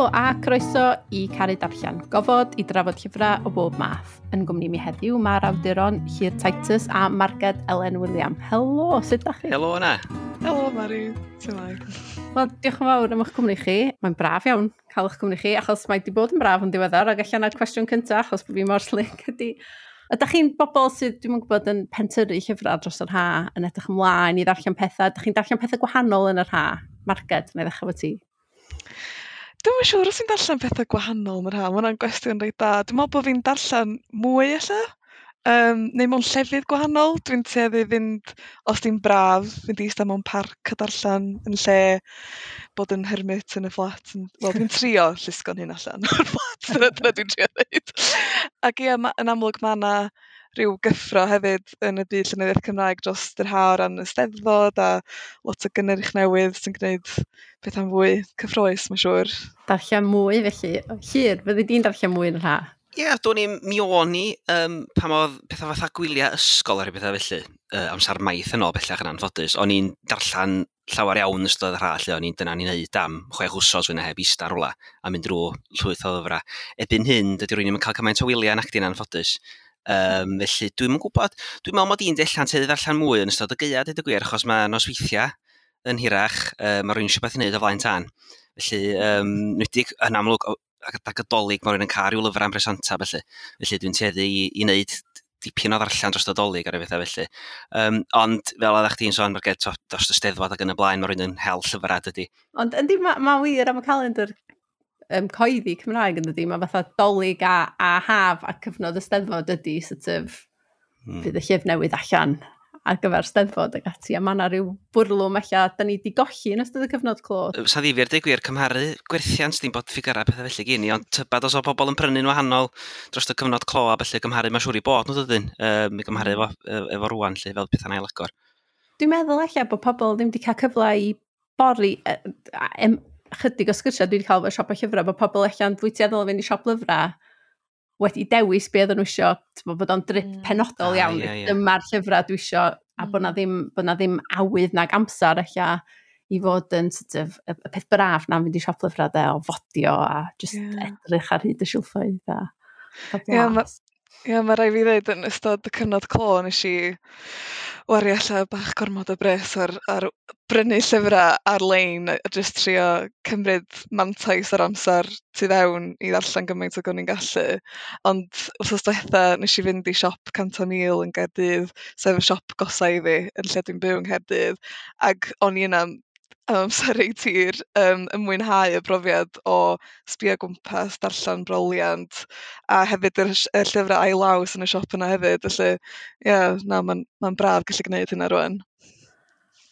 Helo a croeso i Caru Darllen, gofod i drafod llyfrau o bob math. Yn gwmni mi heddiw mae'r awduron Llŷr Titus a Marged Elen William. Helo, sut da chi? Helo yna. Helo Mari, sut mae? Wel, diolch yn fawr am eich cwmni chi. Mae'n braf iawn cael eich cwmni chi, achos mae di bod yn braf yn diweddar, ac allan na'r cwestiwn cyntaf, achos bod fi mor slick ydy. Ydych chi'n bobl sydd, dwi'm yn gwybod, yn pentyrru llyfrau dros yr ha, yn edrych ymlaen i ddarllen pethau? Ydych chi'n darllen pethau gwahanol yn yr ha? Marged, na i ddechrau efo ti. Dwi'm yn siŵr os fi'n darllen pethau gwahanol yn yr ha, mae hwnna'n gwestiwn reit da. Dwi'n meddwl bod fi'n darllen mwy ella, neu mewn llefydd gwahanol. Dwi'n tueddu fynd, os di'n braf, fynd i eistedd mewn parc a darllen yn lle bod yn hermit yn y fflat. Wel, dwi'n trio llusgo'n hun allan o'r fflat, dyna dwi'n trio ddeud. Ac ie, yn amlwg mae yna rhyw gyffro hefyd yn y byd llenyddiaeth Cymraeg dros yr ha o ran y Steddfod a lot o gynnyrch newydd sy'n gwneud pethau'n fwy cyffrous, mae'n siŵr. Darllen mwy felly. Llŷr, fyddi di'n darllen mwy yn yr ha? Ie, yeah, do'n i, mi o'n i, pan oedd pethau fatha gwyliau ysgol a rhyw bethau felly, amser maith yn ôl bellach yn anffodus, o'n i'n darllen llawer iawn yn ystod yr ha, lle o'n i'n dyna ni'n neud am 6 wsos fwy na heb ista rwla a mynd drwy llwyth o lyfrau. Erbyn hyn, dydy rywun ddim yn cael cymaint o wyliau nac di'n anffodus. Felly, dwi'm yn gwybod, dwi'n meddwl mod i'n della'n tueddu ddarllen mwy yn ystod y gaeaf, deud y gwir, achos mae nosweithiau yn hirach, mae rhywun eisiau beth i wneud o flaen tân. Felly, nwedig yn amlwg, ac y Dolig, mae rhywun yn cael rhyw lyfrau am bresanta, felly. Felly dwi'n tueddu i wneud dipyn o ddarllen dros y Dolig ar y bethau felly. Ond fel oeddech chdi'n sôn, Marged, dros y Steddfod ac yn y blaen, mae rhywun yn hel llyfrau, dydy. Ond yndi, ma wir am y calendar coeddi Cymraeg yn dydy, mae fatha Dolig a haf a cyfnod y Steddfod ydy, sort of, fydd y llyfr newydd allan ar gyfer Steddfod ac ati, a mae yna rhyw bwrlwm ella da ni di golli yn ystod y cyfnod clo. Sa ddifyr, deud gwir, cymharu gwerthiant, dim bod ffigurau pethau felly gyn i, ond tybad os o bobl yn prynu'n wahanol dros y cyfnod clo a felly gymharu, mae'n siŵr i bod nhw dydyn, i gymharu efo rwan, lle, fel pethau'n ailagor. Dwi'n meddwl ella bod pobl ddim wedi cael cyfle i bori, chydig o sgyrsiau dwi wedi cael efo siop o llyfrau, bod pobl ella'n fwy tueddol o fynd i siop lyfrau wedi dewis be oedden nhw isio, t'mo, bod o'n drip penodol iawn, dyma'r llyfrau dwi isio, a bod na ddim awydd nag amser ella i fod yn sort of, y peth braf na'n fynd i siop lyfrau de, o fodio a just edrych ar hyd y silffoedd a cael blas. Ie, mae rhaid fi ddweud yn ystod y cyfnod clo nes i wario ella bach gormod o bres ar brynu llyfrau ar-lein a jyst trio cymryd mantais ar amser tu fewn i ddarllen gymaint ag o'n i'n gallu. Ond wythnos diwetha nes i fynd i siop Cant a Mil yn Gaerdydd, sef y siop gosa i fi yn lle dwi'n byw yng Nghaerdydd, ac o'n i yna am amser reit hir, yn mwynhau y brofiad o sbio gwmpas, darllen broliant, a hefyd y llyfrau ail law sy'n y siop yna hefyd. Felly, ie, na, ma'n braf gallu gwneud hynna rwan.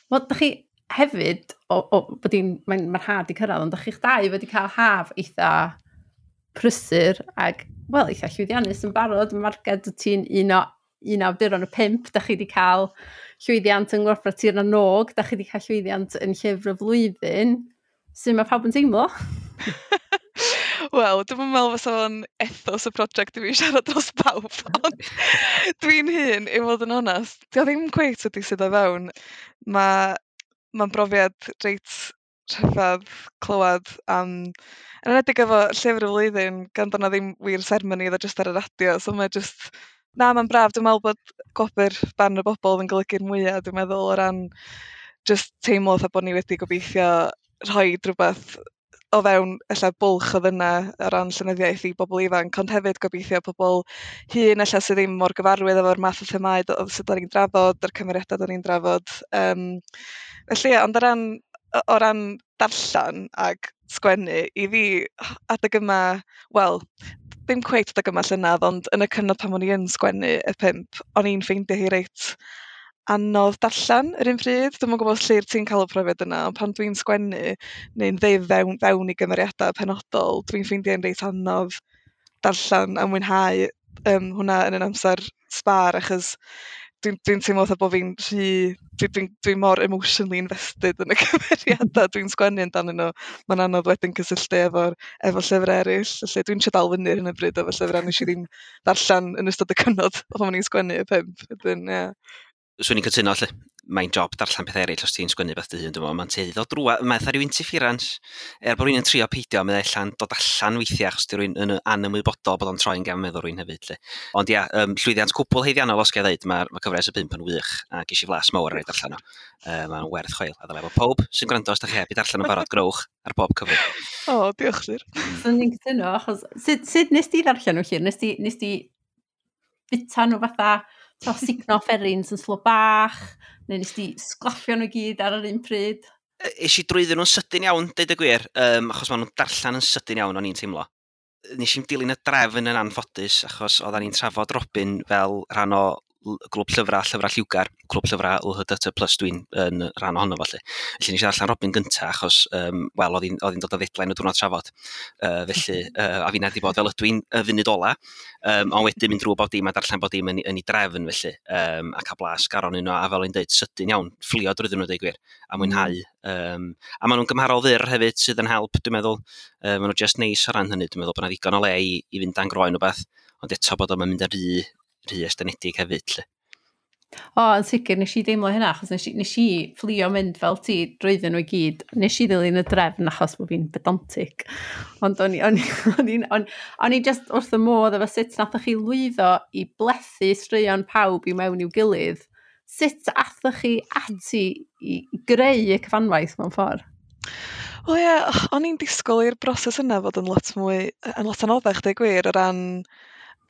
Wel, dach chi hefyd, o, bod hi'n, mae'n, mae'r haf 'di cyrraedd, ond dach chi'ch dau wedi cael haf eitha prysur ac, wel, eitha llwyddiannus yn barod. Marged, wyt ti'n un awduron y 5, dach chi wedi cael llwyddiant yng Ngwobrau Tir na n-Og, dach chi wedi cael llwyddiant yn Llyfr y Flwyddyn. Sut mae pawb yn teimlo? Wel, dwi'm yn meddwl fysa fo'n ethos y prosiect i fi siarad dros bawb, ond dwi'n hun, i fod yn onest, dio ddim cweit wedi sydd o fewn. Mae'n brofiad reit rhyfedd clywed am, yn enwedig efo Llyfr y Flwyddyn, gan bod 'na ddim wir seremoni, oedd o jyst ar y radio, so mae jyst, na, mae'n braf. Dwi'n meddwl bod gwobr barn y bobl yn golygu'r mwyaf, dwi'n meddwl, o ran jyst teimlo fatha bod ni wedi gobeithio rhoi rhywbeth o fewn ella bwlch oedd yna o ran llenyddiaeth i bobl ifanc, ond hefyd gobeithio pobl hŷn ella sydd ddim mor gyfarwydd efo'r math o themâu sydd da ni'n drafod, yr cymeriadau da ni'n drafod. Felly, ie, ond o ran darllen ag sgwennu, i fi, adeg yma, wel, ddim cweit adeg yma llynedd, ond yn y cyfnod pan o'n i yn sgwennu y 5, o'n i'n ffeindio hi reit anodd darllen yr un pryd. Dwi'm yn gwybod os Llŷr ti'n cael y profiad yna, ond pan dwi'n sgwennu neu'n ddeud fewn i gymeriadau penodol, dwi'n ffeindio'n reit anodd darllen a mwynhau hwnna yn yn amser sbar, achos dwi'n teimlo fatha bod fi'n rhy, dwi mor emotionally invested yn y cymeriadau dwi'n sgwennu amdanyn nhw. Mae'n anodd wedyn cysylltu efo llyfrau eraill. Felly dwi'n trio dal fyny ar hyn o bryd efo llyfrau nes i ddim darllen yn ystod y cyfnod pan o'n i'n sgwennu y 5. Wedyn, ie. Swn i'n cytuno, lle. Mae'n job darllen pethau eraill os ti'n sgwennu beth dy hun, dwi'n meddwl. Mae'n tueddu o drwa, mae'n fatha rhyw interference. Er bod rhywun yn trio peidio, mae'n allan dod allan weithiau, achos di rhywun yn anymwybodol bod o'n troi'n gefn meddwl rhywun hefyd. Lle. Ond ia, llwyddiant cwbl haeddiannol os gael ddeud, mae cyfres y pump yn wych, a ges i flas mawr ar ei darllen o. Mae'n werth chweil, a ddylai bod pob sy'n gwrando, os da chi heb i darllen o'n barod, growch ar bob cyfri. O, diolch Llyr. Swn i'n cytuno, achos sut nes ti ddarllen nhw, Llyr? Nes ti bita nhw fatha sugno fferins yn slo bach, neu nes ti sglaffio nhw gyd ar yr un pryd? Es i drwyddyn nhw'n sydyn iawn, deud y gwir, achos maen nhw'n darllen yn sydyn iawn o'n i'n teimlo. Nes i'm dilyn y drefn yn anffodus, achos oedden ni'n trafod Robin fel rhan o glwb llyfrau, llyfrau lliwgar, clwb llyfrau LHDT plus dwi'n yn rhan ohono felly. Felly nes i ddarllen Robin gynta achos, wel, oedd hi'n dod o ddeadline y diwrnod trafod. Felly, a finna di bod fel ydw i'n y funud ola, ond wedyn mynd drwy bob dim a darllen bob dim yn ei drefn felly, a cael blas garon un o, a fel o'n dweud, sydyn iawn, fflio drwyddyn nhw, deud gwir, a mwynhau. A maen nhw'n gymharol fyr hefyd sydd yn help, dwi'n meddwl. Maen nhw just neis o ran hynny, dwi'n meddwl bod yna ddigon o le i fynd dan groen o beth, ond eto bod o'n mynd yn rhy estynedig hefyd. Lle. O, yn sicr, nes i deimlo hynna, achos nes i fflio mynd fel ti drwyddyn nhw i gyd. Nes i ddilyn y drefn achos bod fi'n pedantic. Ond o'n i just wrth y modd efo sut nathoch chi lwyddo i blethu straeon pawb i mewn i'w gilydd. Sut athoch chi ati i greu y cyfanwaith mewn ffordd? Wel ie, o'n i'n disgwyl i'r broses yna fod yn lot mwy, yn lot anoddach, deud gwir, o ran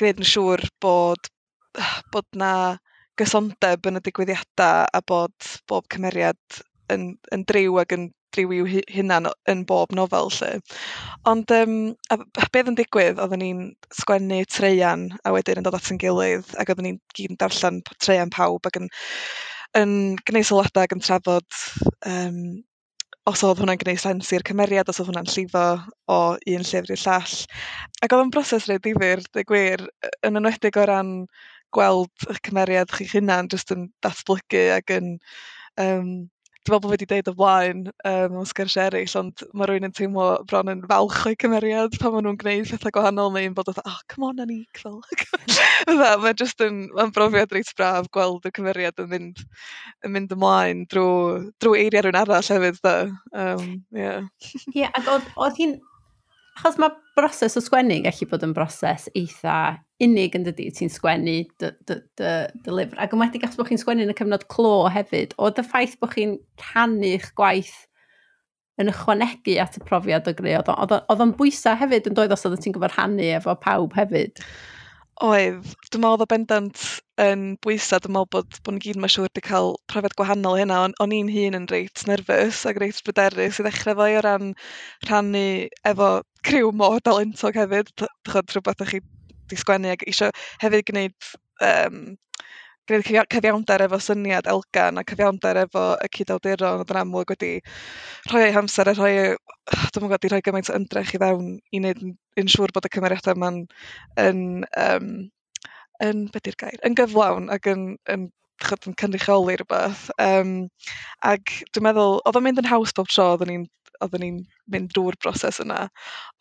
gwneud yn siŵr bod na gysondeb yn y digwyddiadau a bod bob cymeriad yn driw ac yn driw i'w hunan yn bob nofel. Lle. Ond a beth yn digwydd, oedden ni'n sgwennu traean a wedyn yn dod at ein gilydd ac oedden ni'n gyd yn darllen traean pawb ac yn gwneud sylwadau ac yn trafod os oedd hwnna'n gwneud sens i'r cymeriad, os oedd hwnna'n llifo o un llyfr i'r llall. Ac oedd o'n broses reit ddifyr, deud gwir, yn enwedig o ran gweld eich cymeriad chi'ch hunan jyst yn datblygu ac yn... Dwi'n meddwl bod fi wedi deud o blaen mewn sgyrsiau eraill, ond mae rhywun yn teimlo bron yn falch o'i cymeriad pan maen nhw'n gwneud pethau gwahanol neu'n bod fatha, oh, come on, Anik, fel. Mae'n just yn, mae'n brofiad reit braf gweld y cymeriad yn mynd ymlaen drwy eiriau rhywun arall hefyd, da. Yeah. Ie, ac oedd hi'n... Achos mae broses o sgwennu yn gallu bod yn broses eitha unig yn dydi, ti'n sgwennu dy lyfr. Ac yn wedi achos bod chi'n sgwennu yn y cyfnod clo hefyd, oedd y ffaith bod chi'n rhannu'ch gwaith yn ychwanegu at y profiad o greu, oedd o'n bwysau hefyd yn doedd os oedd ti'n gyfer rhannu efo pawb hefyd? Oedd, dwi'n meddwl oedd o bendant yn bwysau, dwi'n meddwl bod ni gyd mae'n siŵr wedi cael profiad gwahanol hynna, o'n i'n hun yn reit nerfus ac reit bryderus i ddechrau fo o ran rhannu efo criw mor dalentog hefyd, rhywbeth o'ch chi 'di sgwennu ac eisiau hefyd gwneud cyfiawnder efo syniad Elgan a cyfiawnder efo y cyd-awduron oedd yn amlwg wedi rhoi eu hamser a rhoi, dwi'm yn gwybod, 'di rhoi gymaint o ymdrech i fewn i wneud yn siŵr bod y cymeriadau yma'n yn be 'di'r gair, yn gyflawn ac yn cynrychioli rhywbeth. Ac dwi'n meddwl, oedd o'n mynd yn haws bob tro oedden ni'n mynd drwy'r broses yna.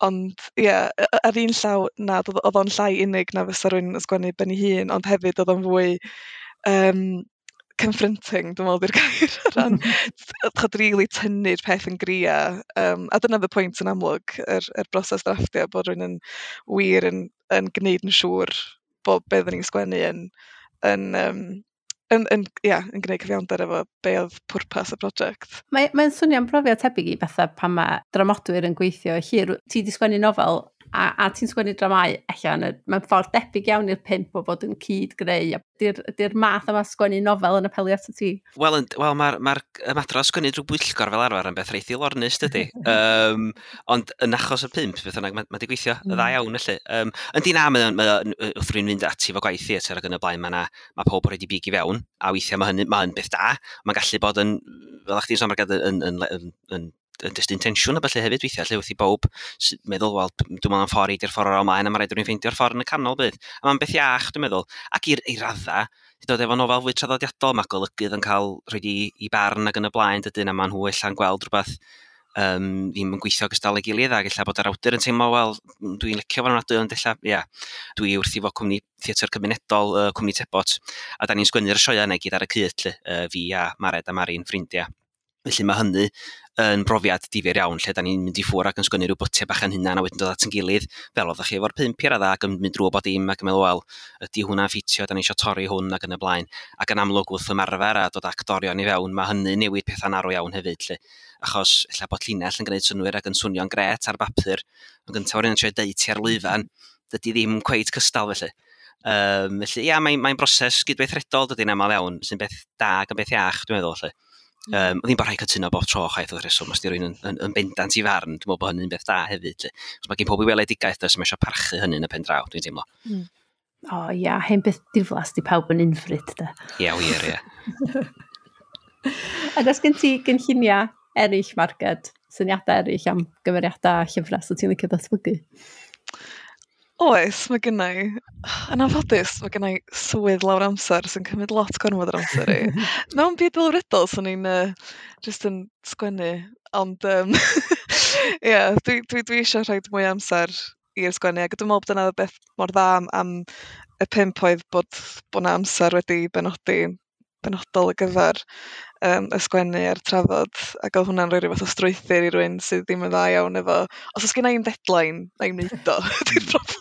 Ond ie, ar un llaw, na, oedd o'n llai unig na fysa rhywun yn sgwennu ben ei hun, ond hefyd oedd o'n fwy confronting, dwi'n meddwl di'r gair, o ran rili tynnu'r peth yn gria. A dyna the pwynt yn amlwg, yr broses drafftio, bod rhywun yn wir yn gwneud yn siŵr bod be oedden ni'n sgwennu yn gwneud cyfiawnder efo be oedd pwrpas y prosiect. Mae'n swnio'n profiad tebyg i fatha pan mae dramodwyr yn gweithio hir. Ti 'di sgwennu nofel a ti'n sgwennu dramau allan, mae'n ffordd debyg iawn i'r pump o fod yn cyd-greu. Di'r math yma sgwennu nofel yn apelio at ti? Wel, mae'r ymadrodd sgwennu drwy bwyllgor fel arfer yn beth reit ddilornus, dydy. Ond yn achos y pump, beth bynnag, mae 'di gweithio y dda iawn, felly. Yndi na, mae wrth rhywun fynd ati fo gwaith theatr ac yn y blaen, mae pob yn rhoi big i fewn, a weithiau mae hynny, mae'n beth da. Mae'n gallu bod yn, fel chdi'n sôn, yn destun tensiwn a felly hefyd weithiau, lle wrth i bawb meddwl, wel, dwi'n meddwl am ffordd i di'r ffordd o'r ymlaen, a mae rhaid rhywun ffeindio'r ffordd yn y canol bydd. A mae'n beth iach, dwi'n meddwl. Ac i'r radda, di dod efo nofel fwy traddodiadol, mae golygydd yn cael rhoi i barn ac yn y blaen, dydyn, a maen nhw ella'n gweld rhywbeth ddim yn gweithio gystal ei gilydd, ac ella bod yr awdur yn teimlo, wel, dwi'n licio fo'n ofnadwy, ond ella, ia, dwi wrthi fo cwmni theatr cymunedol, cwmni Tebot, a da ni'n sgwennu'r sioeau yna i gyd ar y cyd, lle, fi a Mared a Mari'n ffrindiau. Felly mae hynny yn brofiad difyr iawn, lle da ni'n mynd i ffwr ac yn sgwennu rhyw bytiau bach yn hunan a wedyn dod at yn gilydd, fel oeddech chi efo'r 5 i'r adda, ac yn mynd drwy bod dim ac yn meddwl, wel, ydy hwnna'n ffitio, da ni eisiau torri hwn ac yn y blaen. Ac yn amlwg wrth ymarfer a dod actorion i fewn, mae hynny'n newid pethau'n arw iawn hefyd, lle. Achos ella bod llinell yn gwneud synnwyr ac yn swnio'n gret ar bapur, ond gyntaf o'r un yn trio deud ti ar lwyfan, dydy ddim cweit cystal felly. Felly, ia, mae'n broses gydweithredol dydy'n aml iawn, sy'n beth da ac yn beth iach, dwi'n meddwl, felly. Ddim bod rhaid cytuno bob tro chwaith wrth reswm, os di rywun yn bendant i farn, dwi'n meddwl bod hynny'n beth da hefyd. Lle. Os mae gen pob i weledigaeth, does, mae eisiau parchu hynny yn y pen draw, dwi'n teimlo. O ia, hen beth diflas di pawb yn unfryd, de. Ia, wir, ia. Ac os gen ti gynlluniau eraill, Marged, syniadau eraill am gymeriadau a llyfrau, so ti'n licio datblygu? Oes, mae gynna i. Yn anffodus, mae gynna i swydd lawr amser sy'n cymryd lot gormod o'r amser i. Mewn byd delfrydol, swn i'n jyst yn sgwennu, ond ie, dwi eisiau rhoi mwy o amser i'r sgwennu, ac dwi'n meddwl bod dyna beth mor dda am y 5 oedd bod 'na amser wedi benodi benodol ar gyfer y sgwennu a'r trafod, ac oedd hwnna'n rhoi rhyw fath o strwythur i rywun sydd ddim yn dda iawn efo, os oes genna i'm deadline, na i'm neud o, ydy'r broblem.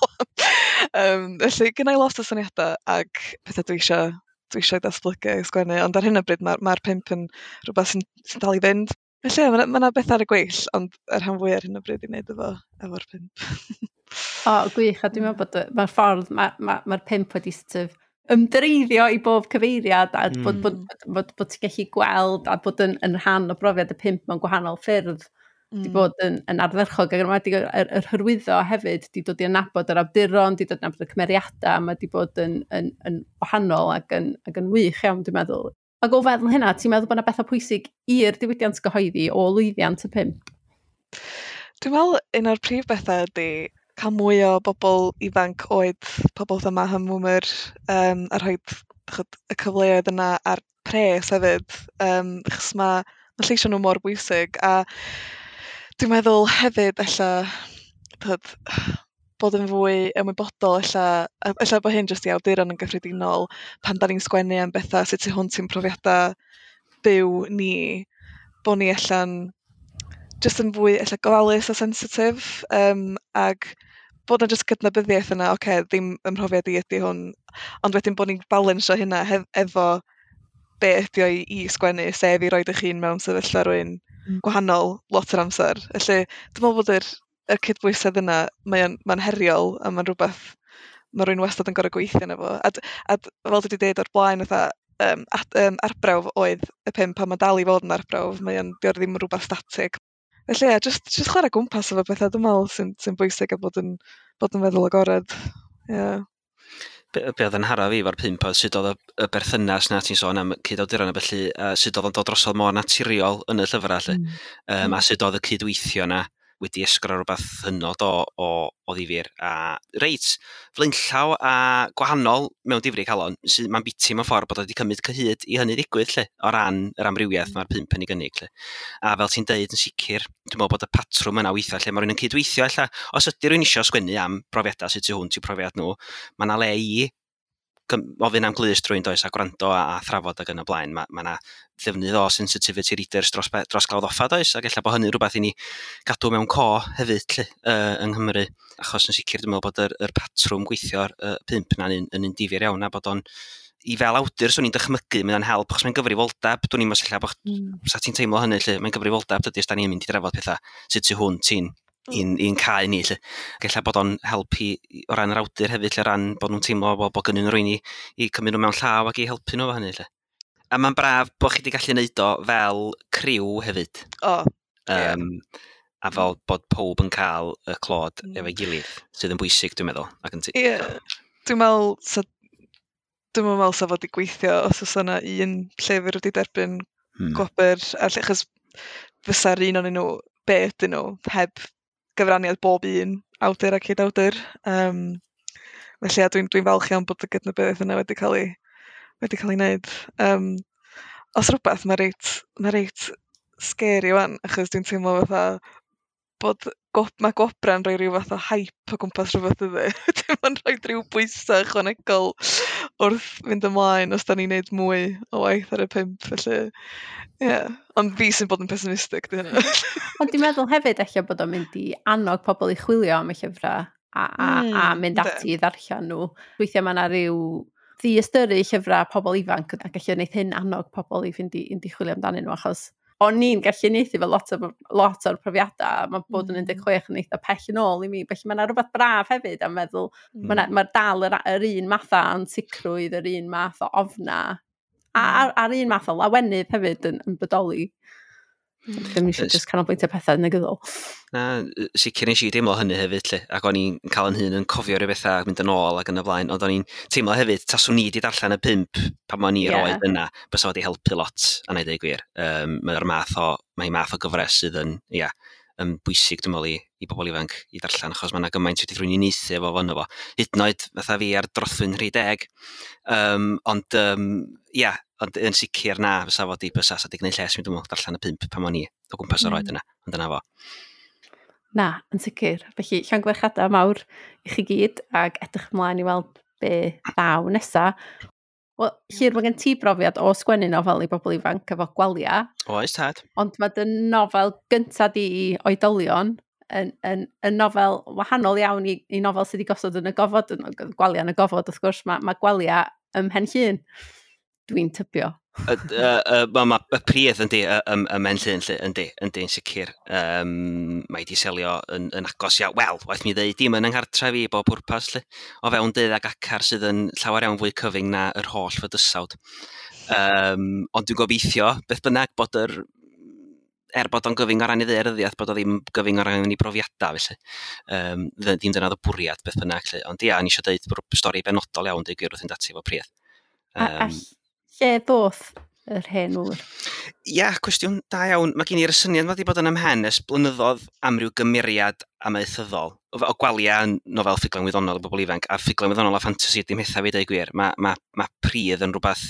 Felly, genna i lot o syniadau ac pethau dwi eisiau datblygu a sgwennu, ond ar hyn o bryd mae'r 5 yn rhywbeth sy'n dal i fynd. Felly, mae 'na bethau ar y gweill, ond yr rhan fwyaf ar hyn o bryd i wneud efo'r 5. O, gwych, a dwi'n meddwl bod mae'r ffordd, mae'r 5 wedi sort of ymdreiddio i bob cyfeiriad a bod ti'n gallu gweld a bod yn rhan o brofiad y 5 mewn gwahanol ffyrdd di bod yn ardderchog, ac yn enwedig yr hyrwyddo hefyd di dod i adnabod yr awduron, di dod i adnabod y cymeriadau, mae di bod yn wahanol ac yn wych iawn, dwi'n meddwl. Ac o feddwl hynna, ti'n meddwl bod yna bethau pwysig i'r diwydiant gyhoeddi o lwyddiant y 5? Dwi'n meddwl un o'r prif bethau ydy cael mwy o bobl ifanc oed, pobl fatha Maham Wmr, a rhoi y cyfleoedd yna a'r pres hefyd, achos mae lleisio nhw mor bwysig. A dwi'n meddwl hefyd ella bod yn fwy ymwybodol, ella bod hyn jyst i awduron yn gyffredinol, pan da ni'n sgwennu am bethau sydd tu hwnt i'n profiadau byw ni, bod ni ella'n jyst yn fwy ella gofalus a sensitif, ac bod 'na jyst cydnabyddiaeth yna, oce, ddim ym mhrofiad i ydy hwn, ond wedyn bod ni'n balansio hynna efo be ydy o i sgwennu, sef i roid eich hun mewn sefyllfa rywun gwahanol lot o'r amser. Felly, dwi'n meddwl bod yr cydbwysedd yna, mae'n heriol, a mae'n rhywbeth mae rhywun wastad yn gorfod gweithio arno fo. A fel dwi wedi dweud o'r blaen, fatha, arbrawf oedd y 5, a mae dal i fod yn arbrawf, mae'n ddim yn rhywbeth statig. Felly ie, just chwarae gwmpas efo pethau, dwi'n meddwl, sy'n bwysig a bod yn feddwl agored. Yeah. Be oedd yn hara fi efo'r 5 oedd sut oedd y berthynas na ti'n sôn am cyd-awduron a felly, sut oedd o'n dod drosodd mor naturiol yn y llyfrau, lle. A sut oedd y cydweithio na wedi esgro rhywbeth hynod o ddifyr. A reit, flaenllaw a gwahanol mewn difri calon, mae'n biti mewn ffordd bod o wedi cymryd cyhyd i hynny ddigwydd, lle, o ran yr amrywiaeth mae'r 5 yn ei gynnig. Lle. A fel ti'n deud yn sicr, dwi'n meddwl bod y patrwm yna weithiau, lle mae rhywun yn cydweithio, ella, os ydy rhywun eisiau sgwennu am brofiadau sydd tu hwnt i'w profiad nhw, mae yna le i ofyn am glust rwy'n does a gwrando a thrafod ac yn y blaen. Mae yna ddefnydd o sensitivity readers dros glawdd offa does, ac ella bod hynny rhywbeth i ni gadw mewn co hefyd lle, yng Nghymru, achos yn sicr dwi'n meddwl bod yr patrwm gweithio'r 5 na'n un difyr iawn, a bod o'n i fel awdur swn i'n dychmygu, mae'n help, achos mae'n gyfrifoldeb, dwi'n i'n ella bod sa ti'n teimlo hynny lle, mae'n gyfrifoldeb dydy os da ni'n mynd i drafod pethau sydd tu hwnt i'n cae ni, lle. Ac ella bod o'n helpu o ran yr awdur hefyd, lle, o ran bod nhw'n teimlo bod gynnu nhw rywun i cymryd nhw mewn llaw ac i helpu nhw efo hynny, lle. A mae'n braf bod chi wedi gallu neud o fel criw hefyd. O, A fel bod pob yn cael y clod efo'i gilydd, sydd yn bwysig, dwi'n meddwl. Ie, dwi'n meddwl sa fod i gweithio os oes yna un llyfr wedi derbyn gwobr, achos fysa'r un ohonyn nhw, be ydyn nhw, heb gyfraniad bob un awdur a cyd-awdur. Felly dwi'n falch iawn bod y gydnabyddiaeth yna wedi cael ei wneud. Os rhywbeth, mae reit scary wan, achos dwi'n teimlo fatha bod mae gwobra'n rhoi rhyw fath o hype o gwmpas rhywbeth ydy. Mae'n rhoi rhyw bwysau ychwanegol wrth fynd ymlaen os da ni'n neud mwy o waith ar y 5, felly ie. Yeah. Ond fi sy'n bod yn pessimistic, di hynna. Ond dwi'n meddwl hefyd ella bod o'n mynd i annog pobl i chwilio am y llyfrau a mynd ati i ddarllen nhw. Weithiau mae yna rhyw ddiystyru llyfrau pobl ifanc ac gallu wneud hyn annog pobl i fynd i chwilio amdanyn nhw, achos o'n i'n gallu uniaethu efo lot o'r profiadau, mae bod yn 16 yn eitha pell yn ôl i mi, felly mae yna rhywbeth braf hefyd am meddwl, mae dal yr un math o ansicrwydd, yr un math o ofna, a'r un math o lawenydd hefyd yn bodoli. Ddim eisiau jyst canolbwyntio pethau negyddol. Na, sicr nes i deimlo hynny hefyd, lle. Ac o'n i'n cael yn hun yn cofio rhyw bethau ac mynd yn ôl ac yn y blaen, ond o'n i'n teimlo hefyd, taswn i wedi darllen y 5 pan o'n i'r oed yna, bysa wedi helpu lot, a na i ddeud gwir. Mae'r math o, mae math o gyfres sydd yn, ia, yn bwysig, dwi'n meddwl, i bobl ifanc i darllen, achos mae yna gymaint wedi rhywun i uniaethu efo fo fo. Hyd yn oed fatha fi ar drothwy'n 30. Ond, ia, ond yn sicr na, fysa fo di bysa, sa di gwneud lles mi, dwi'n meddwl, darllen y 5 pan o'n i o gwmpas yr oed yna, ond dyna fo. Na, yn sicr. Felly, llongyfarchiadau mawr i chi gyd, ac edrych ymlaen i weld be ddaw nesa. Wel, Llyr, mae gen ti brofiad o sgwennu nofel i bobl ifanc efo Gwalia. Oes, tad. Ond mae dy nofel gynta di i oedolion yn nofel wahanol iawn i nofel sydd wedi gosod yn y gofod, yn Gwalia yn y gofod, wrth gwrs, mae Gwalia ym Mhen Llŷn, dwi'n tybio. Mae y pridd yndi, ym Mhen Llŷn, lle, yndi, yn sicr. Mae di selio yn agos iawn. Wel, waeth mi ddeud, dim yn yng nghartref i bob pwrpas, lle. O fewn 12 acar sydd yn llawer iawn fwy cyfyng na yr holl fydysawd. Ond dwi'n gobeithio, beth bynnag, bod er bod o'n gyfyng o ran ei ddaearyddiaeth, bod o ddim gyfyng o ran ei brofiadau, felly. Ddim dyna oedd y bwriad, beth bynnag, lle. Ond ia, o'n i eisiau deud bod stori benodol iawn, deud gwir wrth fynd ati efo pridd. A lle ddoth yr hen ŵr? Ia, cwestiwn da iawn. Mae gen i'r syniad wedi bod yn ymhen ers blynyddoedd am ryw gymeriad amaethyddol. O Gwalia yn nofel ffuglen wyddonol i bobl ifanc, a ffuglen wyddonol a ffantasi dim hetha fi, deud gwir. Mae pridd yn rhywbeth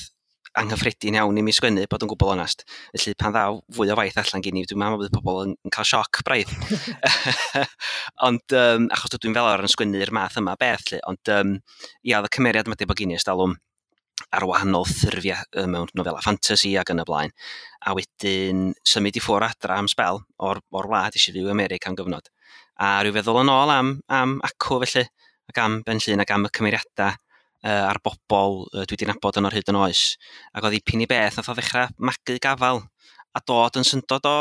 anghyffredin iawn i mi sgwennu, bod yn gwbl onast. Felly pan ddaw fwy o waith allan gen i, dwi'n meddwl bod pobl yn cael sioc braidd. Ond, achos dwi'n fel arfer yn sgwennu'r math yma beth, lle. Ond, ia, oedd y cymeriad yma wedi bod gen i ers talwm ar wahanol ffurfiau mewn nofela ffantasi ac yn y blaen. A wedyn symud i ffwrdd adra am sbel o'r wlad, eisiau fyw i America am gyfnod. A rhyw feddwl yn ôl am acw felly, ac am Ben Llŷn ac am y cymeriadau a'r bobl dwi wedi nabod yn o'r hyd yn oes. Ac oedd dipyn i beth nath o ddechrau magu gafal a dod yn syndod o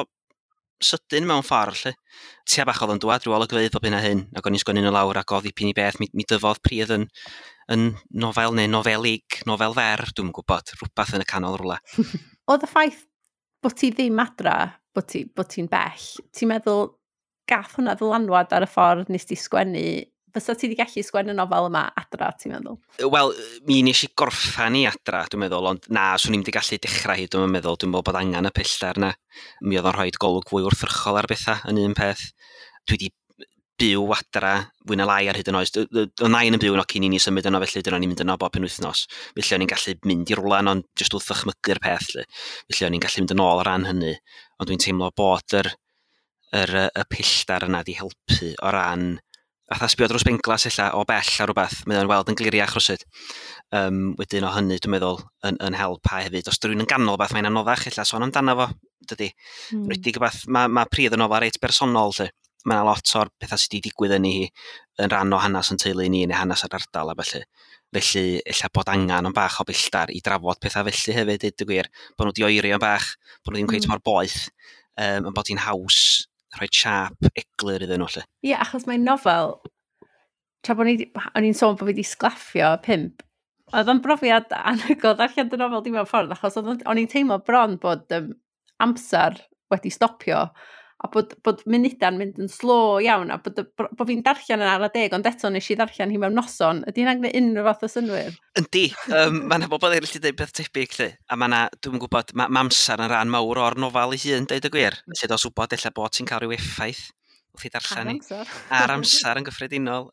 sydyn mewn ffordd, lle. Tua bach oedd yn dŵad rhyw olygfeydd bob hyn a hyn, ac o'n i'n sgwennu nhw lawr, ac oedd dipyn i beth, mi dyfodd pridd yn nofel neu nofelig, nofel fer, dwi'n gwybod, rhywbeth yn y canol rhywle. Oedd y ffaith bod ti ddim adra, bod ti'n bell, ti'n meddwl gath hwnna ddylanwad ar y ffordd nes ti sgwennu? Fysa ti wedi gallu sgwennu nofel yma adra, ti'n meddwl? Wel, mi nes i gorffan i adra, dwi'n meddwl, ond na, swn i'm wedi gallu dechrau hi, dwi'n meddwl. Dwi'n meddwl bod angen y pellter na. Mi oedd o'n rhoi golwg fwy wrthrychol ar bethau yn un peth. Dwi wedi byw adra fwy na lai ar hyd yn oes. Oedd nain yn byw yno cyn i ni symud yno, felly dyna ni'n mynd yno bob penwythnos. Felly o'n i'n gallu mynd i rwla, ond jyst wrth ddychmygu'r peth. Lle. Felly o'n i'n gallu mynd yn ôl o ran hynny. Ond dwi'n teimlo bod y pellter yna di helpu o ran fatha sbio dros benglas ella o bell ar rhywbeth, mae o'n weld yn gliriach rywsut. Wedyn o hynny, dwi'n meddwl, yn help a hefyd. Os rhywun yn ganol beth, mae'n anoddach ella sôn amdano fo, dydy. Rwydig beth, mae pridd yn nofel reit bersonol, lle. Mae yna lot o'r pethau sydd wedi digwydd yn hi yn rhan o hanes yn teulu ni neu hanes yr ardal a felly. Felly, ella bod angen o'n bach o belltar i drafod pethau felly hefyd, deud y gwir. Bod nhw wedi oeri o'n bach, bod nhw ddim cweit mor boeth, yn bod hi'n haws rhoi siâp eglur iddyn nhw, lle. Ie, achos mae'n nofel, tra bod o'n i'n sôn bod fi wedi sglaffio 5, oedd o'n brofiad anhygoel darllen dy nofel di mewn ffordd, achos o'n i'n teimlo bron bod amser wedi stopio, a bod munudau'n mynd yn slo iawn, a bod fi'n darllen yn ara deg, ond eto nes i ddarllen hi mewn noson. Ydy hynna'n gwneud unrhyw fath o synnwyr? Yndi, mae yna bobl eraill wedi dweud peth tebyg, lle. A mae yna, dwi'n gwybod, mae amser yn rhan mawr o'r nofel ei hun, deud y gwir. Felly dos wybod ella bod ti'n cael rhyw effaith wrth i darllen hi. Ar amser yn gyffredinol.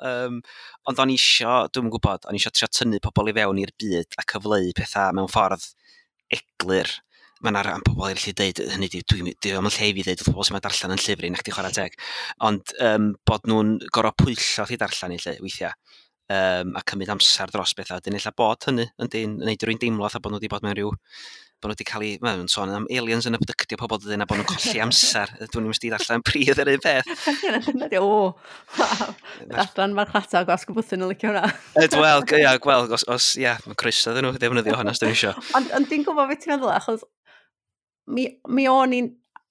Ond o'n i isio, dwi'n gwybod, o'n i isio trio tynnu pobl i fewn i'r byd a cyfleu pethau mewn ffordd eglur. Mae yna ran pobl eraill i dweud, hynny di, dwi'n dwi yn lle i fi ddeud wrth pobl sy'n ma darllen yn llyfr i, nac di chwarae teg. Ond bod nhw'n gorfod pwyllo chi darllen i lle, weithiau. A cymryd amser dros bethau. Dyn ella bod hynny yn neud rwy'n deimlo fatha bod nhw wedi bod mewn rhyw, bod nhw wedi cael ei, mae'n sôn am aliens yn abductio pobl dydyn, a bod nhw'n colli amser. Dwi'n mynd i ddarllen pridd yr un peth. Dyna di, o, waw. Adran marchnata gwasg y bwthyn yn licio hwnna. Wel, ia, gweld, os, ia, mae croeso iddyn nhw ddefnyddio hwnna os dyn nhw isio. Ond dwi'n gwybod beth ti'n meddwl, achos mi o'n i'n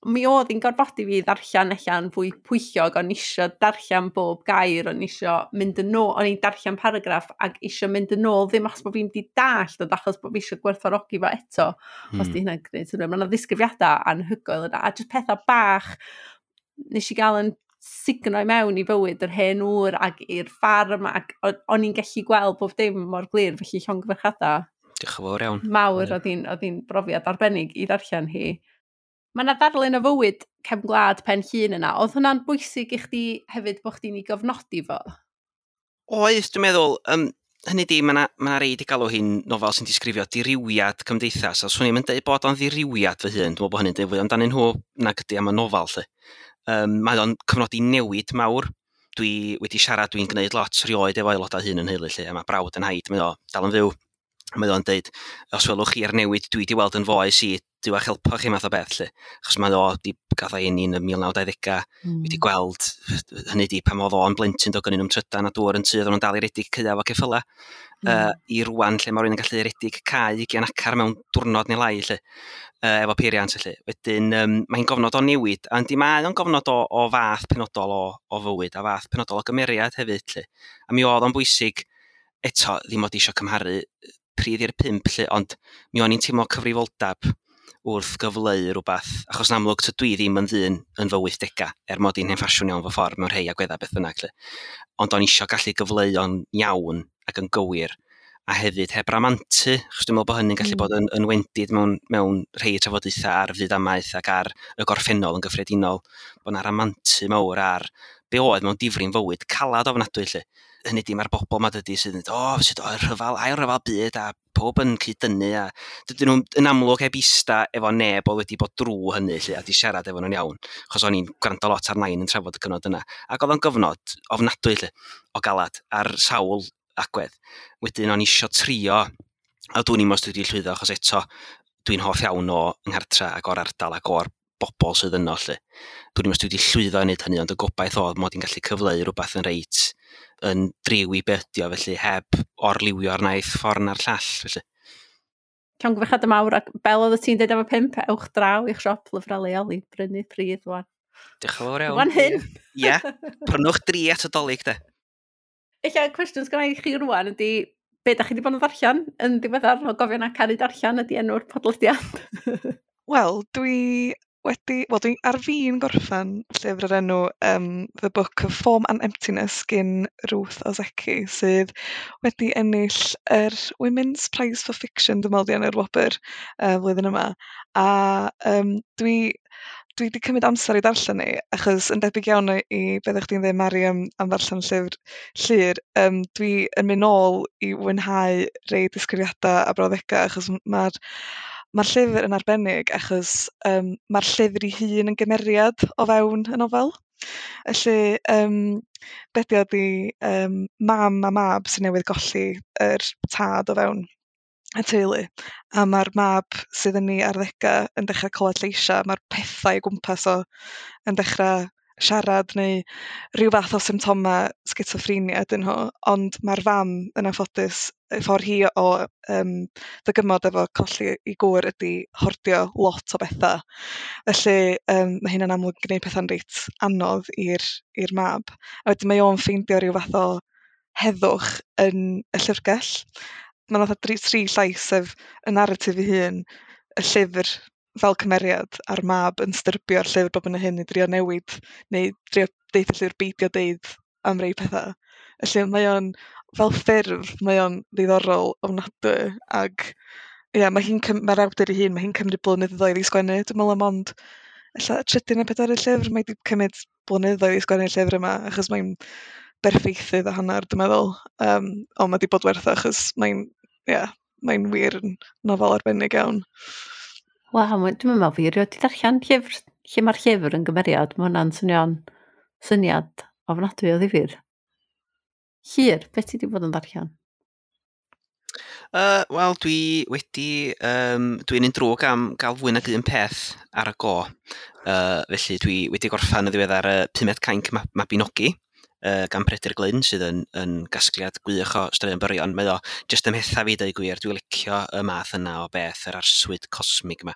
mi oedd hi'n gorfodi fi ddarllen allan fwy pwyllog, o'n isio darllen bob gair, o'n isio mynd yn ôl, o'n i'n darllen paragraff ac isio mynd yn ôl, ddim achos bod fi'n di dallt, ond achos bod fi isio gwerthfawrogi fo eto, os di hynna'n gwneud synnwyr. Mae yna ddisgrifiadau anhygoel yna, a jyst pethau bach nes i gael yn sugno i mewn i fywyd yr hen ŵr ac i'r ffarm, ac o'n i'n gallu gweld bob dim mor glir, felly llongyfarchiadau. Diolch yn fawr iawn. Mawr, oedd hi'n brofiad arbennig i ddarllen hi. Mae yna ddarlun o fywyd cefn gwlad Pen Llŷn yna. Oedd hwnna'n bwysig i chdi hefyd bod chdi'n ei gofnodi fo? Oedd, dwi'n meddwl, hynny di, mae yna rei di galw hi'n nofel sy'n disgrifio dirywiad cymdeithas. A swn i'm yn dweud bod o'n ddirywiad fy hun, dwi'n meddwl bod hynny'n dweud fwy amdanyn nhw nag ydy am y nofel, lle. Mae o'n cyfnodi newid mawr. Dwi wedi siarad, dwi'n gwneud lot rioed efo aelodau hyn yn heulu, lle. A mae brawd yn haid, mae o dal yn fyw. Mae o'n deud, os welwch chi'r newid dwi wedi weld yn foes i, Duw a'ch helpo chi math o beth, lle. Achos mae o di gath o'i eni yn y 1920au, wedi gweld, hynny di, pan oedd o'n blentyn, doedd gynnu nhw'm trydan a dŵr yn tŷ, oedden nhw'n dal i redig caeau efo ceffyla. I rwan, lle mae rhywun yn gallu redig cae 20 acar mewn diwrnod neu lai, lle, efo peiriant, lle. Wedyn, mae'n gofnod o newid, a yndi, mae o'n gofnod o fath penodol o fywyd, a fath penodol o gymeriad hefyd, lle. A mi oedd o'n bwysig, eto, ddim od eisiau cymharu pridd i'r pump, lle, ond mi o'n i'n teimlo cyfrifoldeb wrth gyfleu rhywbeth, achos yn amlwg tydw i ddim yn ddyn yn fy 80au, er mod i'n hen ffasiwn iawn fy ffordd mewn rhai agweddau beth bynnag, lle. Ond o'n isio gallu gyfleu o'n iawn ac yn gywir, a hefyd heb ramantu, achos dwi'n meddwl bod hynny'n gallu bod yn wendid mewn rhai trafodaethau ar fyd amaeth ac ar y gorffennol yn gyffredinol, bod 'na ramantu mawr ar be oedd mewn difri'n fywyd calad ofnadwy, lle. Hynny di, mae'r bobl ma dydy sydd yn dweud, o, sut o, rhyfel, ail rhyfel byd, a pob yn cyd-dynnu, a dydyn nhw'n yn amlwg heb ista efo neb oedd wedi bod drw hynny, lle, a di siarad efo nhw'n iawn, achos o'n i'n gwrando lot ar nain yn trafod y cyfnod yna. Ac oedd o'n gyfnod ofnadwy, lle, o galad, ar sawl agwedd. Wedyn o'n isio trio, a dwi'n i'm os dwi wedi llwyddo, achos eto dwi'n hoff iawn o nghartra ac o'r ardal ac o'r bobl sydd yno, lle. Dwi'n i'm os dwi wedi llwyddo i wneud hynny, ond y gobaith oedd mod i'n gallu cyfleu rhywbeth yn reit yn driw i be ydi o, felly heb orliwio'r naill ffordd na'r llall, felly. Llongyfarchiadau mawr, ac bel oedd ti'n deud am y pump, ewch draw i'ch siop lyfrau leol i brynu pridd wan. Diolch yn fawr iawn. Wan hyn. Ie, prynwch 3 at y Dolig, de. Ella cwestiwn sgynna i chi rwan ydy, be da chi wedi bod yn ddarllen yn ddiweddar, o gofio na Caru Darllen ydy enw'r podlediad? Wel, dwi ar fin gorffen llyfr o'r enw The Book of Form and Emptiness gyn Ruth Ozeki, sydd wedi ennill yr Women's Prize for Fiction, dwi'n meddwl, di enw'r wobr flwyddyn yma. A dwi wedi cymryd amser i darllen ni, achos yn debyg iawn i beth o'ch chdi'n dweud, Mari, am ddarllen llyfr Llyr, dwi yn mynd nôl i fwynhau rei disgrifiadau a brawddegau, achos mae'r llyfr yn arbennig, achos mae'r llyfr ei hun yn gymeriad o fewn y nofel. Felly, be 'di o 'di mam a mab sy'n newydd golli yr tad o fewn y teulu, a mae'r mab sydd yn ei arddegau yn dechrau clywed lleisiau, mae'r pethau o gwmpas o yn dechrau siarad neu rhyw fath o symptomau sgitsoffrenia ydyn nhw, ond mae'r fam yn anffodus, y ffordd hi o ddygymod efo colli ei gŵr ydy hordio lot o bethau. Felly mae hynna'n amlwg yn gwneud pethau'n reit anodd i'r mab. A wedyn mae o'n ffeindio rhyw fath o heddwch yn y llyfrgell. Mae 'na fatha tri llais, sef y naratif ei hun, y llyfr fel cymeriad, a'r mab yn styrbio'r llyfr bob yn y hyn i drio newid, neu drio deud y llyfr beidio deud am rei pethau. Felly mae o'n, fel ffurf, mae o'n ddiddorol ofnadwy, ac ie, mae hi'n mae'r awdur ei hun, mae hi'n cymryd blynyddoedd i sgwennu, dwi'n meddwl am ond ella trydydd neu pedwerydd llyfr, mae wedi cymryd blynyddoedd i sgwennu'r llyfr yma, achos mae'n berffeithydd a hanner, dwi'n meddwl. Ond mae wedi bod werth o, achos mae'n wir yn nofel arbennig iawn. Waw, dwi'n meddwl fi erioed 'di darllen llyfr lle mae'r llyfr yn gymeriad. Mae hwnna'n swnio'n syniad ofnadwy o ddifyr. Llyr, beth ti wedi bod yn darllen? Wel, dwi wedi... Dwi'n un drwg am gael fwy nag un peth ar y go. Felly dwi wedi gorffan yn ddiweddar Pumed Cainc Mabinogi gan Peredur Glyn, sydd yn gasgliad gwych o straeon byrion. Mae o jyst ymhetha fi, dweud gwir. Dwi'n licio y math yna o beth, yr arswyd cosmig yma.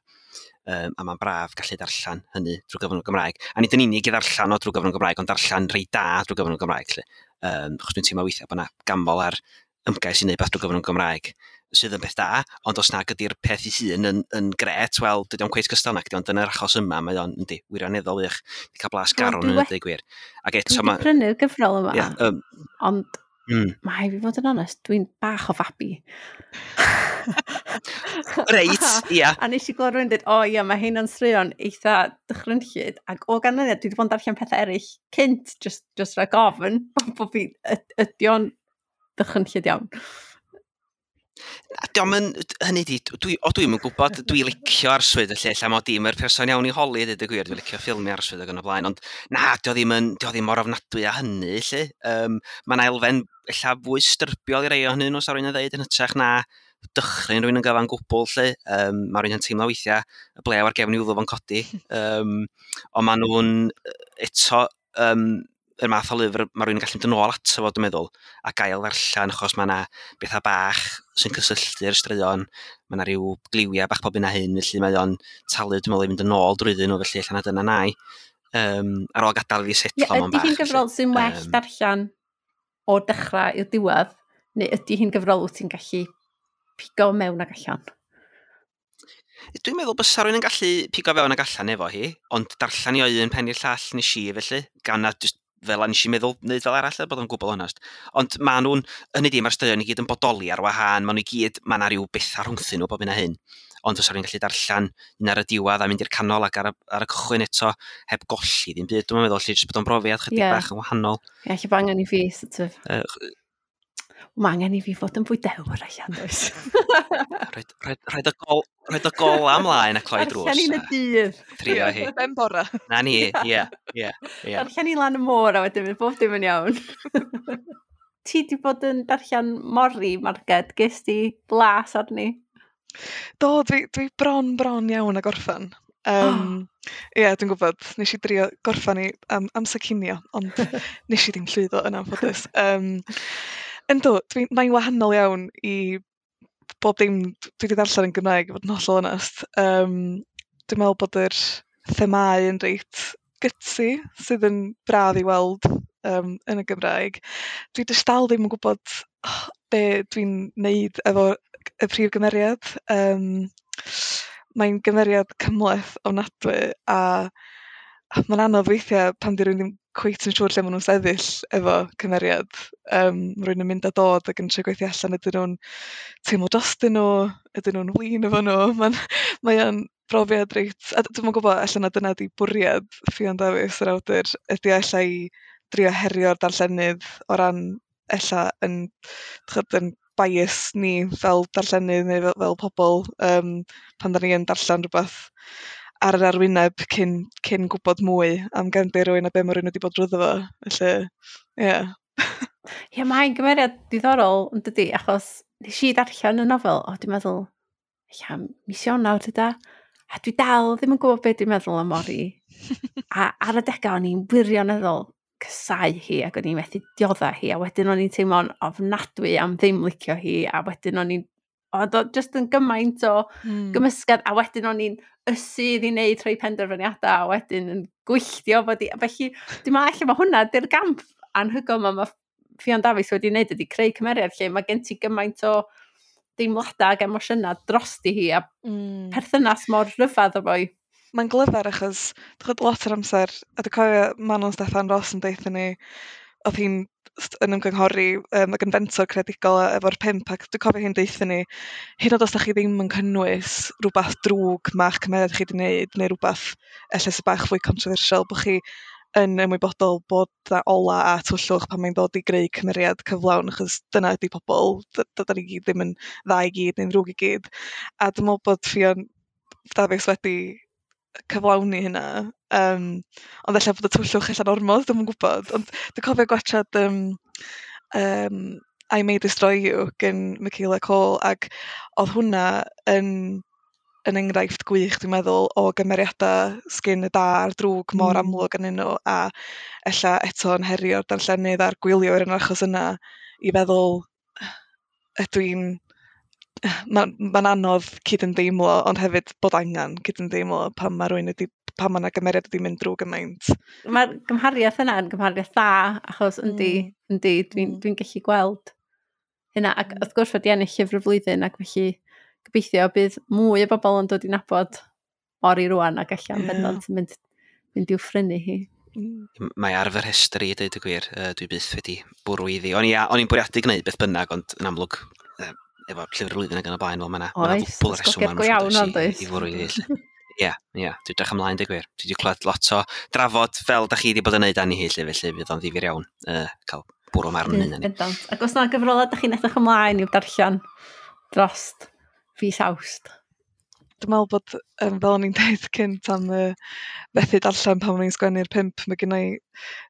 A mae'n braf gallu darllen hynny drwy gyfrwng y Gymraeg. A nid yn unig i ddarllen o drwy gyfrwng y Gymraeg, ond darllen rei da drwy gyfrwng y Gymraeg. Lly. Achos dwi'n teimlo weithiau bod yna gamol ar ymgais i wneud beth drwy gyfrwng y Gymraeg sydd yn beth da, ond os nag ydy'r peth ei hun yn gret, wel, dydy o'n cweit gystal nag, ond yn yr achos yma, mae o'n, yndi, wirioneddol wych, di cael blas garw yn dweud gwir. Ac eto ma... Dwi wedi prynu'r gyfrol yma, yeah, ond mae fi fod yn onest, dwi'n bach o fabi. Reit, ia. A nes i glywed rhywun dweud, o ia, mae hyn yn straeon eitha dychrynllyd, ac o ganlyniad, dwi wedi bod yn darllen pethau eraill cynt, just rhag ofn, bod fi, ydy o'n dychrynllyd iawn. Diolch yn, hynny di, dwi'm yn gwybod, dwi licio arswyd y lle, lle mod i'm yr person iawn i holi, dweud y gwir, dwi'n licio ffilmiau arswyd ac yn y blaen, ond na, dio ddim mor ofnadwy a hynny, lle. Mae yna elfen ella fwy styrbiol i rei o hynny nhw, sa rwy'n yn dweud, yn hytrach na dychryn rwy'n yn gyfan gwbl, lle. Mae rwy'n yn teimlo weithiau y blew ar gefn i wddw fo'n codi. Ond maen nhw'n eto... yr math o lyfr, mae rhywun yn gallu mynd yn ôl ato fo, dwi'n meddwl, a gael ddarllen, achos mae yna bethau bach sy'n cysylltu'r straeon, mae yna rhyw gliwiau bach pob un a hyn, felly mae o'n talu, dwi'n meddwl, i fynd yn ôl drwyddyn nhw, felly allan na dyna nai. Ar ôl gadael i fi setlo mewn bach. Ydy hi'n gyfrol sy'n well darllen o'r dechrau i'r diwedd, neu ydy hi'n gyfrol wyt ti'n gallu pigo mewn ag allan? Dwi'n meddwl bysa rhywun yn gallu pigo fewn ag allan efo hi, ond darllen i o un pen i'r llall nes i, felly, gan na just fel a nes i meddwl wneud fel arall, bod yn gwbl onest. Ond maen nhw'n, hynny di, mae'r straeon i gyd yn bodoli ar wahân, maen nhw i gyd, mae yna rhyw bethau rhwngthyn nhw bob hyn a hyn. Ond os rwy'n gallu darllen un ar y diwedd a mynd i'r canol ac ar y cychwyn eto, heb golli ddim byd, dwi'n meddwl, lle jyst bod o'n brofiad chydig bach yn wahanol. Ie, lle bod angen i fi, sort of. Mae angen i fi fod yn fwy dewr allan, does? Rhaid y gola ymlaen a cloi drws. Darllen i'n y dydd. Trio hi. Ben bora. Na ni, ie. Darllen i lan y môr a wedyn fydd bob dim yn iawn. Ti di bod yn darllen Mori, Marged, ges di blas arni? Do, dwi bron iawn a gorffen. Ie, dwi'n gwybod, nes i drio gorffen i amser cinio, ond nes i ddim llwyddo yn anffodus. Yndw, mae'n wahanol iawn i bob dim dwi wedi darllen yn Gymraeg, i fod yn hollol onest. Dwi'n meddwl bod yr themâu yn reit gutsy, sydd yn braf i weld yn y Gymraeg. Dwi jyst dal ddim yn gwybod be dwi'n neud efo y prif gymeriad. Mae'n gymeriad cymhleth ofnadwy, a mae'n anodd weithiau pan di rhywun ddim cweit yn siŵr lle maen nhw'n sefyll efo cymeriad. Mae rhywun yn mynd a dod ac yn trio gweithio allan ydyn nhw'n teimlo drostyn nhw, ydyn nhw'n flin efo nhw. Mae o'n brofiad reit... A dwi'm yn gwybod allan na dyna di bwriad Ffion Dafis, yr awdur, ydy ella i drio herio'r darllenydd o ran ella yn bias ni fel darllenydd neu fel pobl pan da ni yn darllen rhywbeth ar yr arwyneb cyn gwybod mwy am gefndir rhywun a be mae rhywun wedi bod drwyddo fo. Felly, ie. Ie, mae'n gymeriad diddorol, yn dydi, achos nes i darllen y nofel, dwi'n meddwl, ia, mis Ionawr dyda, a dwi dal ddim yn gwybod beth dwi'n meddwl am Mori. A ar y degau o'n i'n wirioneddol cysau hi, ac o'n i'n methu diodda hi, a wedyn o'n i'n teimlo'n ofnadwy am ddim licio hi, a wedyn o'n i'n oedd o just yn gymaint o gymysgedd, a wedyn o'n i'n ysu iddi wneud rhai penderfyniadau, a wedyn yn gwylltio fod i... Felly, dwi'n meddwl allan mae hwnna, di'r gamp anhygoel mae Ffion Dafis wedi wneud ydy creu cymeriad lle mae gen ti gymaint o deimladau ac emosiynau drosti hi, a perthynas mor rhyfedd o boi. Mae'n glyfar achos lot o'r amser, a dwi'n cofio Manon Steffan Ros yn deutha ni, oedd hi'n yn ymgynghori ac yn fentor creadigol efo'r pimp, ac dwi'n cofio hi'n deutha ni, hyd yn oed os da chi ddim yn cynnwys rhywbeth drwg ma'ch cymeriad chi wedi wneud, neu rhywbeth ella sy'n bach fwy controversial, bod chi yn ymwybodol bod na ola a twllwch pan mae'n dod i greu cymeriad cyflawn, achos dyna ydy pobl, da ni gyd ddim yn dda i gyd neu'n ddrwg i gyd. A dwi'n meddwl bod Ffion Dafis wedi cyflawni hynna. Ond ella bod y tywyllwch ella'n ormod, dwi'm yn gwybod. Ond dwi'n cofio gwachod I May Destroy You gen Michaela Coel, ac oedd hwnna yn enghraifft gwych, dwi'n meddwl, o gymeriadau sgyn y da a'r drwg mor amlwg yn nhw, a ella eto yn herio'r darllenydd a'r gwyliwr yn yr achos yna i feddwl, ydw i'n... Mae'n anodd cydymdeimlo, ond hefyd bod angen cydymdeimlo pan mae rhywun wedi, pan mae yna gymeriad wedi mynd drwy gymaint. Mae'r gymhariaeth yna yn gymhariaeth dda, achos yndi, yndi, dwi'n dwi gallu gweld hynna. Ac wrth gwrs wedi ennill llyfr y flwyddyn, ac felly gobeithio bydd mwy o bobl yn dod i nabod Ori rwan ac allan bendant yn mynd i'w phrynu hi. Mae ar fy rhestr i, dweud y gwir, dwi byth wedi bwrw iddi. O'n i'n bwriadu gwneud beth bynnag, ond yn amlwg, efo llyfr y flwyddyn ac yn y blaen, wel, mae yna ddwbl reswm go iawn ond oes. I fwrw iddi. Ie, ie, dwi'n edrych ymlaen, dweud gwir. Dwi wedi clywed lot o drafod fel da chi wedi bod yn neud ani hi, lle, felly fydd o'n ddifyr iawn cael bwrw marn yn hynny. Bendant. Ac os na gyfrolau da chi'n edrych ymlaen i'w darllen drost fis Awst? Dwi'n meddwl bod, fel o'n i'n dweud cynt am fethu darllen pan o'n i'n sgwennu'r 5, mae gen i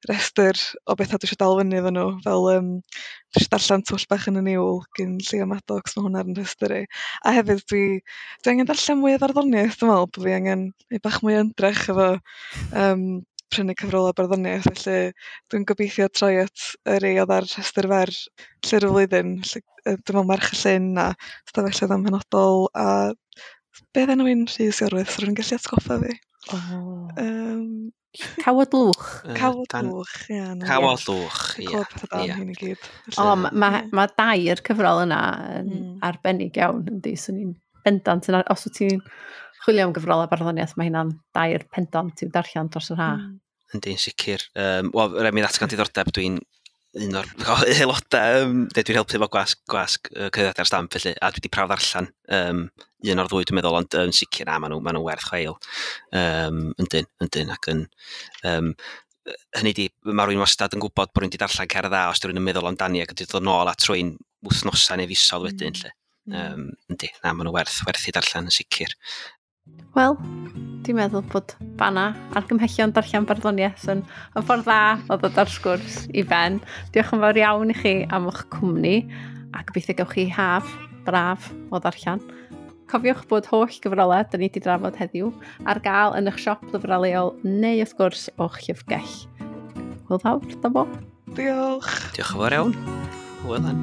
restr o bethau dwi eisiau dal fyny efo nhw, fel dwi eisiau darllen Twll Bach yn y Niwl gan Llio Maddox, mae hwnna ar yn rhestr i. A hefyd dwi angen darllen mwy o farddoniaeth, dwi'n meddwl bod fi angen neud bach mwy o ymdrech efo prynu cyfrolau barddoniaeth, felly dwi'n gobeithio troi at y rei oedd ar rhestr fer llyfr y flwyddyn, felly, dwi'n meddwl Merch y Llyn a Stafelloedd Amhenodol a be oedd enw un Rhys Iorwerth, so rwy'n gallu atgoffa fi. Oh. Cawod Lwch. Cawod Lwch, ie. Cawod Lwch, ie. Clywed pethau da am hyn i gyd. O, mae dair cyfrol yna yn arbennig iawn, yndi. Swn i'n bendant, os wyt ti'n chwilio am gyfrolau barddoniaeth, mae hynna'n dair pendant i'w darllen dros yr ha. Yndi, yn sicr. Wel, rhaid mi ddatgan diddordeb, dwi'n un o'r aelodau, dwi'n helpu efo gwasg cyhoeddiadau'r Stamp, felly, a dwi wedi prawf ddarllen un o'r ddwy, dwi'n meddwl, ond yn sicr na, maen nhw werth chweil. Yndyn, ac yn... hynny di, mae rhywun wastad yn gwybod bod rhywun wedi darllen cerdd dda os rhywun yn meddwl amdani ac yn dod nôl at rhywun wythnosau neu fisoedd wedyn, lle. Yndi, na, maen nhw werth i darllen yn sicr. Wel, dwi'n meddwl bod fanna argymhellion darllen barddoniaeth yn ffordd dda o ddod ar sgwrs i ben. Diolch yn fawr iawn i chi am eich cwmni a gobeithio gewch chi haf braf o ddarllen. Cofiwch bod holl gyfrolau da ni wedi drafod heddiw ar gael yn eich siop lyfrau leol neu wrth gwrs o'ch llyfrgell. Hwyl fawr, da bo. Diolch. Diolch yn fawr iawn. Hwyl.